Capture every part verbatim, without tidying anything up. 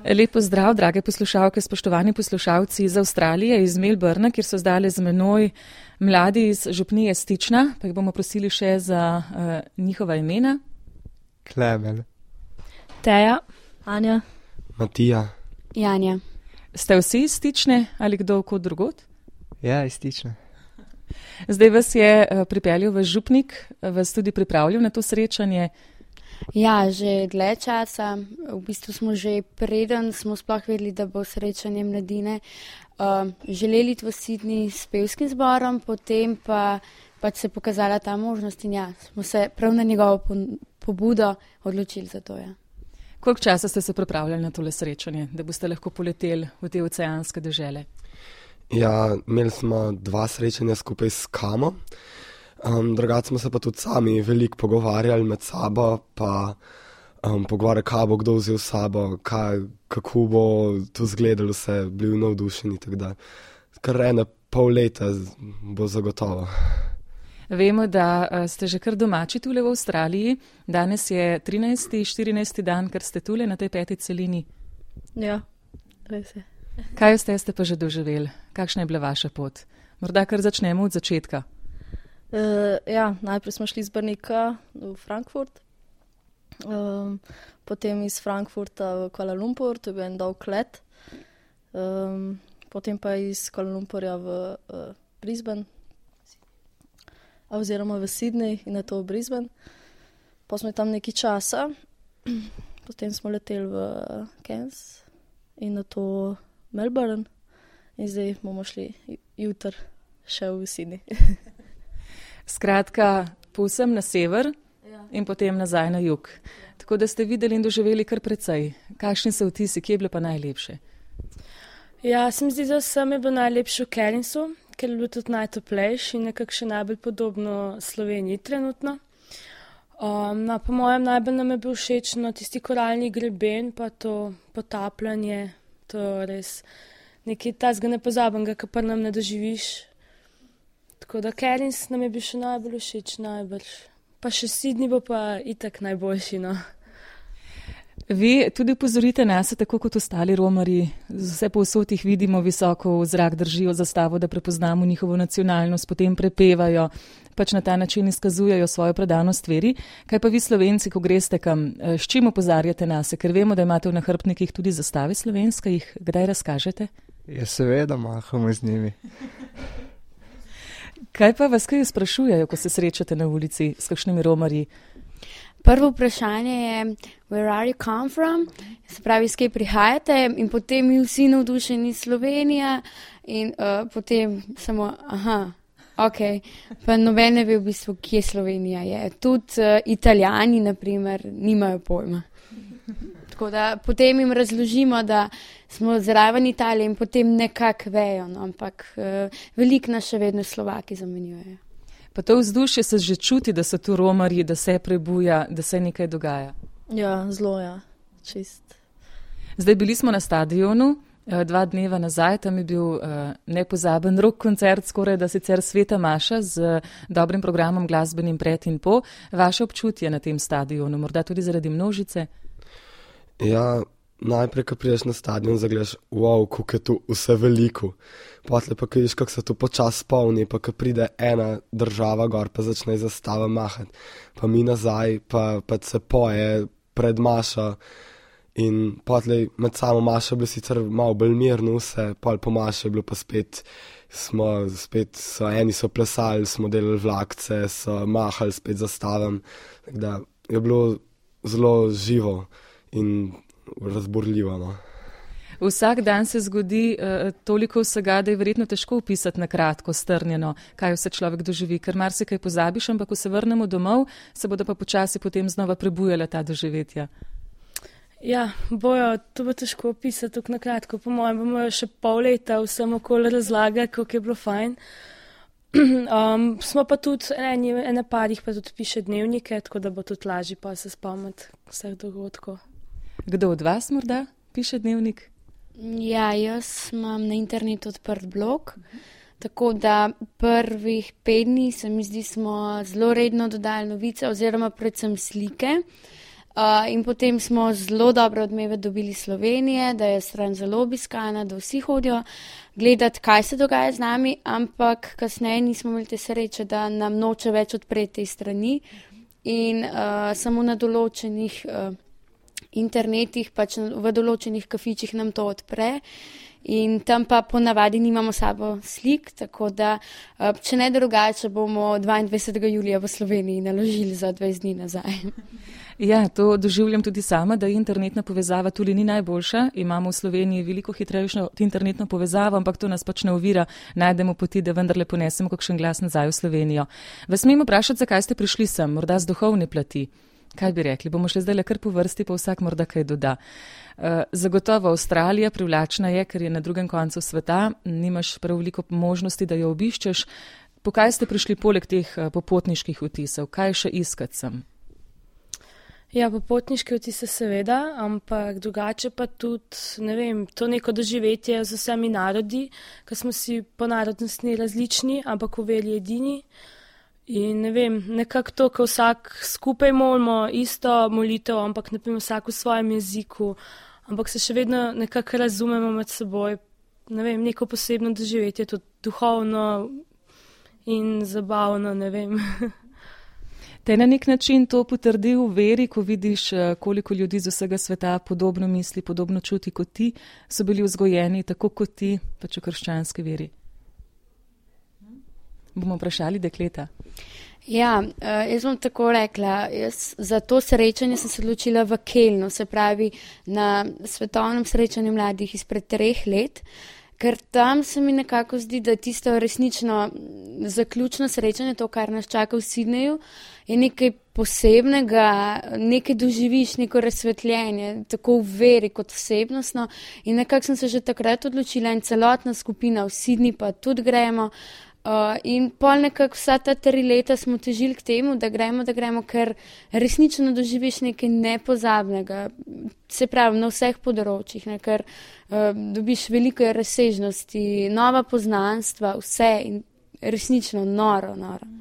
Lep pozdrav, drage poslušalke, spoštovani poslušalci iz Avstralije, iz Melbourna, kjer so zdaj z menoj mladi iz župnije Stična, pa jih bomo prosili še za uh, njihova imena. Klemen. Teja. Anja. Matija. Janja. Ste vsi iz Stične ali kdo kot drugot? Ja, iz Stične. Zdaj vas je uh, pripeljal v župnik, vas tudi pripravljal na to srečanje. Ja, že dlje časa. V bistvu smo že preden smo sploh vedeli, da bo srečanje mladine. Uh, želeli v Sydney s pevskim zborom, potem pa pač se pokazala ta možnost in ja, smo se prav na njegovo pobudo odločili za to. Ja. Koliko časa ste se pripravljali na tole srečanje, da boste lahko poleteli v te oceanske dežele? Ja, imeli smo dva srečanja skupaj s Kamo. Um, drugače smo se pa tudi sami veliko pogovarjali med sabo, pa um, pogovarjali, kaj bo kdo vzel s sabo, kaj, kako bo to izgledalo, vse bili navdušeni, tako da kar ene pol leta bo zagotovo. Vemo, da ste že kar domači tule v Avstraliji. Danes je trinajsti, štirinajsti dan, ker ste tule na tej peti celini. Ja, res je. Kaj ste, ste pa že doživeli? Kakšna je bila vaša pot? Morda kar začnemo od začetka. Uh, ja, najprej smo šli z Brnika v Frankfurt, um, potem iz Frankfurta v Kuala Lumpur, to je bil en dolg let, um, potem pa iz Kuala Lumpurja v uh, Brisbane, oziroma v Sydney in na to v Brisbane. Pa smo tam nekaj časa, potem smo leteli v Cairns in na to Melbourne in zdaj bomo šli jutr še v Sydney. Skratka, povsem na sever ja. In potem nazaj na jug. Tako da ste videli in doživeli kar precej. Kakšni so vtisi, kje je bilo pa najlepše? Ja, se mi zdi, da sem je bilo najlepše v Cairnsu, ker je bilo tudi najtoplejši in nekako še najbolj podobno Sloveniji trenutno. Um, no, po mojem najbolj nam je bil všeč no, tisti koralni greben, pa to potapljanje, to res nekaj tazga nepozabenega, kar pa nam ne doživiš. Tako da Cairns nam je bil še najbolj všeč, najbrž. Pa še Sydney bo pa itak najboljši, no. Vi tudi upozorite nas, tako kot ostali romarji, vse povsod jih vidimo, visoko v zrak držijo zastavo, da prepoznamo njihovo nacionalnost, potem prepevajo, pač na ta način izkazujejo svojo predanost veri. Kaj pa vi Slovenci, ko greste kam, s čim opozarjate nas, ker vemo, da imate v nahrbtnikih tudi zastave slovenske, jih kdaj razkažete? Ja, seveda mahamo z njimi. Kaj pa vas kaj sprašujejo, ko se srečate na ulici s kakšnimi romarji? Prvo vprašanje je, where are you come from? Se pravi, s kje prihajate? In potem mi vsi navdušeni Slovenija in uh, potem samo, aha, ok. Pa noben ne ve v bistvu, kje Slovenija je. Tudi uh, Italijani, na primer, nimajo pojma. Tako da potem jim razložimo, da smo zraven Italije in potem nekako vejo, no, ampak uh, veliko nas še vedno Slovaki zamenjujejo. Pa to vzdušje se že čuti, da so tu romarji, da se prebuja, da se nekaj dogaja. Ja, zelo, ja, čist. Zdaj bili smo na stadionu, dva dneva nazaj, tam je bil uh, nepozaben rock koncert, skoraj da sicer Sveta Maša z dobrim programom glasbenim pred in po. Vaše občutje na tem stadionu, morda tudi zaradi množice? Ja, najprej, ko prideš na stadion, zagledaš, wow, kako je tu vse veliko. Potle pa, ko vidiš, kako se tu počas polni, pa ko pride ena država gor, pa začne zastava mahati. Pa mi nazaj, pa, pa se poje pred Mašo in potle med samo Mašo je bilo sicer malo bolj mirno vse, pol po Mašo je bilo pa spet, smo spet, so, eni so plesali, smo delali vlakce, so mahali spet zastavam. Tako da je bilo zelo živo in razborljivo, no. Vsak dan se zgodi uh, toliko vsega, da je verjetno težko opisati na kratko, strnjeno, kaj vse človek doživi, ker marsikaj pozabiš, ampak ko se vrnemo domov, se bodo pa počasi potem znova prebujala ta doživetja. Ja, bojo, to bo težko opisati tako na kratko. Po mojem bomo še pol leta vsem okoli razlagati, kako je bilo fajn. Um, smo pa tudi eni, ene parih pa tudi piše dnevnike, tako da bo tudi lažje pa se spomniti vseh dogodkov. Kdo od vas morda piše dnevnik? Ja, jaz imam na internetu odprt blog, tako da prvih pet dni se mi zdi, smo zelo redno dodali novice oziroma predvsem slike. Uh, in potem smo zelo dobre odmeve dobili Slovenije, da je stran zelo obiskana, da vsi hodijo gledati, kaj se dogaja z nami, ampak kasneje nismo imeli te sreče, da nam noče več odpreti te strani in uh, samo na določenih uh, internetih, pač v določenih kafičih nam to odpre. In tam pa ponavadi nimamo sabo slik, tako da, če ne drugače, bomo dvaindvajsetega julija v Sloveniji naložili za dvajset dni nazaj. Ja, to doživljam tudi sama, da internetna povezava tudi ni najboljša. Imamo v Sloveniji veliko hitrejšo internetno povezavo, ampak to nas pač ne ovira, najdemo poti, da vendarle ponesemo kakšen glas nazaj v Slovenijo. Vas smem vprašati, zakaj ste prišli sem, morda z duhovne plati? Kaj bi rekli? Bomo šli zdaj le kar po vrsti, pa vsak morda kaj doda. Zagotovo Avstralija privlačna je, ker je na drugem koncu sveta, nimaš prav veliko možnosti, da jo obiščeš. Po kaj ste prišli poleg teh popotniških vtisov? Kaj še iskati sem? Ja, popotniške vtise seveda, ampak drugače pa tudi, ne vem, to neko doživetje z vsemi narodi, ker smo si po narodnostni različni, ampak v veri edini. In ne vem, nekako to, ko vsak skupaj molimo isto molitev, ampak naprimer vsak v svojem jeziku, ampak se še vedno nekako razumemo med seboj. Ne vem, neko posebno doživetje, tudi duhovno in zabavno, ne vem. Te na nek način to potrdi v veri, ko vidiš, koliko ljudi z vsega sveta podobno misli, podobno čuti kot ti, so bili vzgojeni tako kot ti, pač v krščanski veri. Bomo vprašali dekleta. Ja, jaz bom tako rekla, jaz za to srečanje sem se odločila v Kelnu, se pravi na svetovnem srečanju mladih izpred treh let, ker tam se mi nekako zdi, da tisto resnično zaključno srečanje, to, kar nas čaka v Sydneyju, je nekaj posebnega, nekaj doživiš, neko razsvetljenje, tako v veri kot osebnostno in nekako sem se že takrat odločila in celotna skupina v Sydney pa tudi gremo. Uh, in pol nekako vsa ta tri leta smo težili k temu, da gremo, da gremo, ker resnično doživiš nekaj nepozabnega, se pravi na vseh področjih, ne, ker uh, dobiš veliko razsežnosti, nova poznanstva, vse in resnično noro, noro.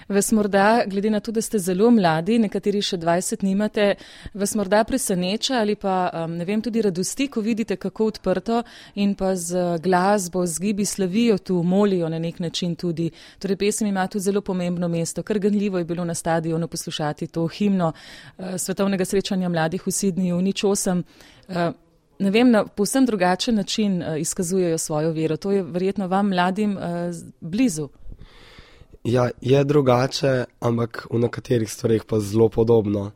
Vas morda, glede na to, da ste zelo mladi, nekateri še dvajset nimate, vas morda preseneča ali pa, ne vem, tudi radosti, ko vidite, kako odprto in pa z glasbo, z gibi slavijo tu, molijo na nek način tudi. Torej, pesem ima tu zelo pomembno mesto, kar ganljivo je bilo na stadionu poslušati to himno svetovnega srečanja mladih v Sydneyju, nič osem. Ne vem, na povsem drugačen način izkazujejo svojo vero. To je verjetno vam mladim blizu. Ja, je drugače, ampak v nekaterih stvarih pa zelo podobno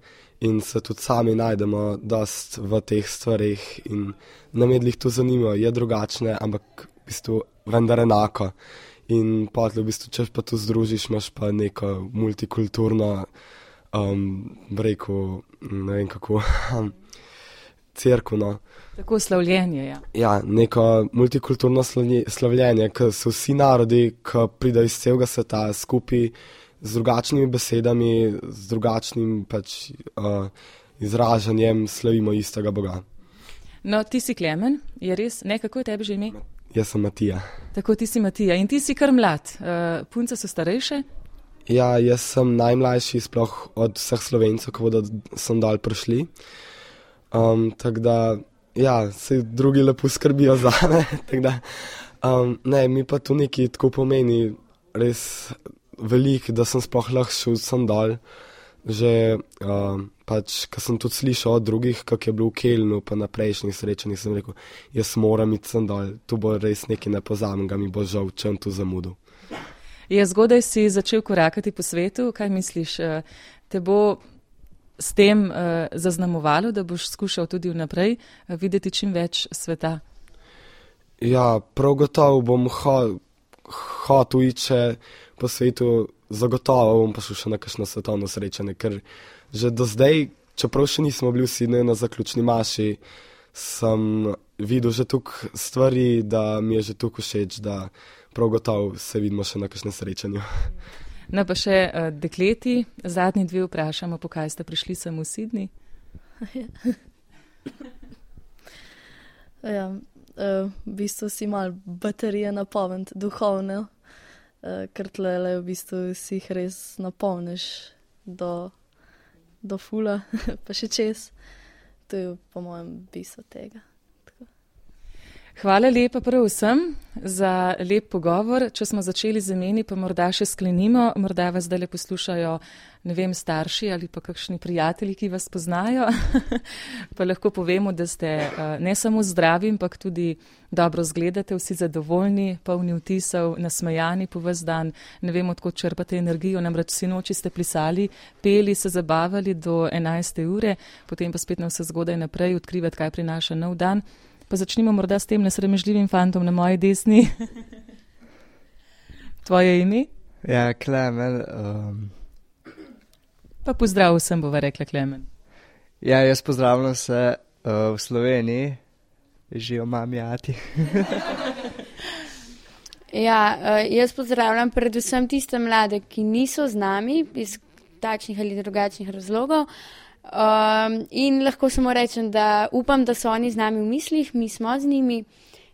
in se tudi sami najdemo dost v teh stvarih in nam je to zanimivo, je drugačne, ampak v bistvu vendar enako. In potem v bistvu, če pa tu združiš, imaš pa neko multikulturno, um, rekel, ne vem kako, cerkveno. Tako slavljenje, ja. Ja, neko multikulturno slavljenje, ko so vsi narodi, ko pridejo iz celega sveta skupaj z drugačnimi besedami, z drugačnim pač, uh, izražanjem slavimo istega Boga. No, ti si Klemen, je res? Ne, kako je tebi že ime? Jaz sem Matija. Tako, ti si Matija in ti si kar mlad. Uh, punce so starejše? Ja, jaz sem najmlajši sploh od vseh Slovencev, ko bodo sem dol prišli. Um, tako da, ja, se drugi lepo skrbijo za me, tako da, um, ne, mi pa tu neki tako pomeni res veliko, da sem sploh lahko šel sem dol, že um, pač, ko sem tudi slišal od drugih, kako je bilo v Kelnu, pa na prejšnjih srečanjih, sem rekel, jaz moram iti sem dol, tu bo res nekaj nepozabnega, mi bo žal, če tu zamudil. Je zgodaj si začel korakati po svetu, kaj misliš, te bo s tem uh, zaznamovalo, da boš skušal tudi vnaprej uh, videti čim več sveta? Ja, prav gotovo bom hotel ho, iti po svetu, zagotovo bom pa šel še na kakšno svetovno srečanje, ker že do zdaj, čeprav še nismo bili v Sydneyju na zaključni maši, sem videl že tukaj stvari, da mi je že tukaj všeč, da prav gotovo se vidimo še na kakšnem srečanju. No pa še uh, dekleti, zadnji dve vprašamo, po kaj ste prišli sem v Sydney? Ja, uh, v bistvu si mal baterije napolniti, duhovne, uh, ker tlele v bistvu si jih res napolniš do do fula, pa še čez. To je po mojem bistvo tega. Hvala lepa prav vsem za lep pogovor. Če smo začeli z imeni, pa morda še sklenimo. Morda vas zdaj le poslušajo, ne vem, starši ali pa kakšni prijatelji, ki vas poznajo. Pa lahko povemo, da ste ne samo zdravi, ampak tudi dobro zgledate, vsi zadovoljni, polni vtisov, nasmejani po ves dan. Ne vem, odkot črpate energijo, namreč vsi noči ste plisali, peli, se zabavali do enajste ure, potem pa spet na vse zgodaj naprej odkrivati, kaj prinaša nov dan. Pa začnimo morda s tem nesramežljivim fantom na moji desni. Tvoje ime? Ja, Klemen. Um... Pa pozdrav vsem, bova rekla Klemen. Ja, jaz pozdravljam se uh, v Sloveniji. Živijo mami, ati. Ja, uh, jaz pozdravljam predvsem tiste mlade, ki niso z nami iz takšnih ali drugačnih razlogov. Um, in lahko samo rečem, da upam, da so oni z nami v mislih, mi smo z njimi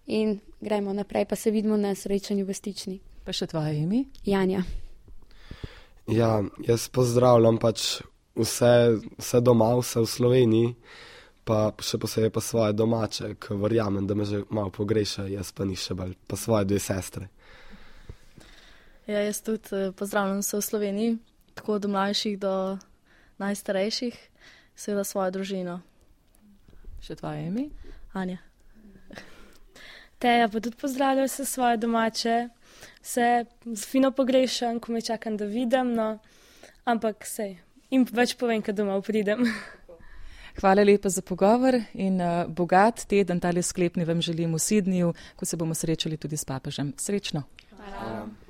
in gremo naprej, pa se vidimo na srečanju v Stični. Pa še tvoje ime? Janja. Ja, jaz pozdravljam pač vse, vse doma, vse v Sloveniji, pa še posebej pa svoje domače, ki verjamem, da me že malo pogreša, jaz pa ni še bolj, pa svoje dve sestre. Ja, jaz tudi pozdravljam se v Sloveniji, tako do mlajših do najstarejših, seveda svojo družino. Še tvoje ime? Anja. Teja pa tudi pozdravljam se svoje domače, se fino pogrešam, ko me čakam, da vidim, no, ampak sej, jim več povem, kad domov pridem. Hvala lepa za pogovor in uh, bogat teden, tale sklepni vam želim v Sydneyju, ko se bomo srečali tudi s papežem. Srečno. Hvala.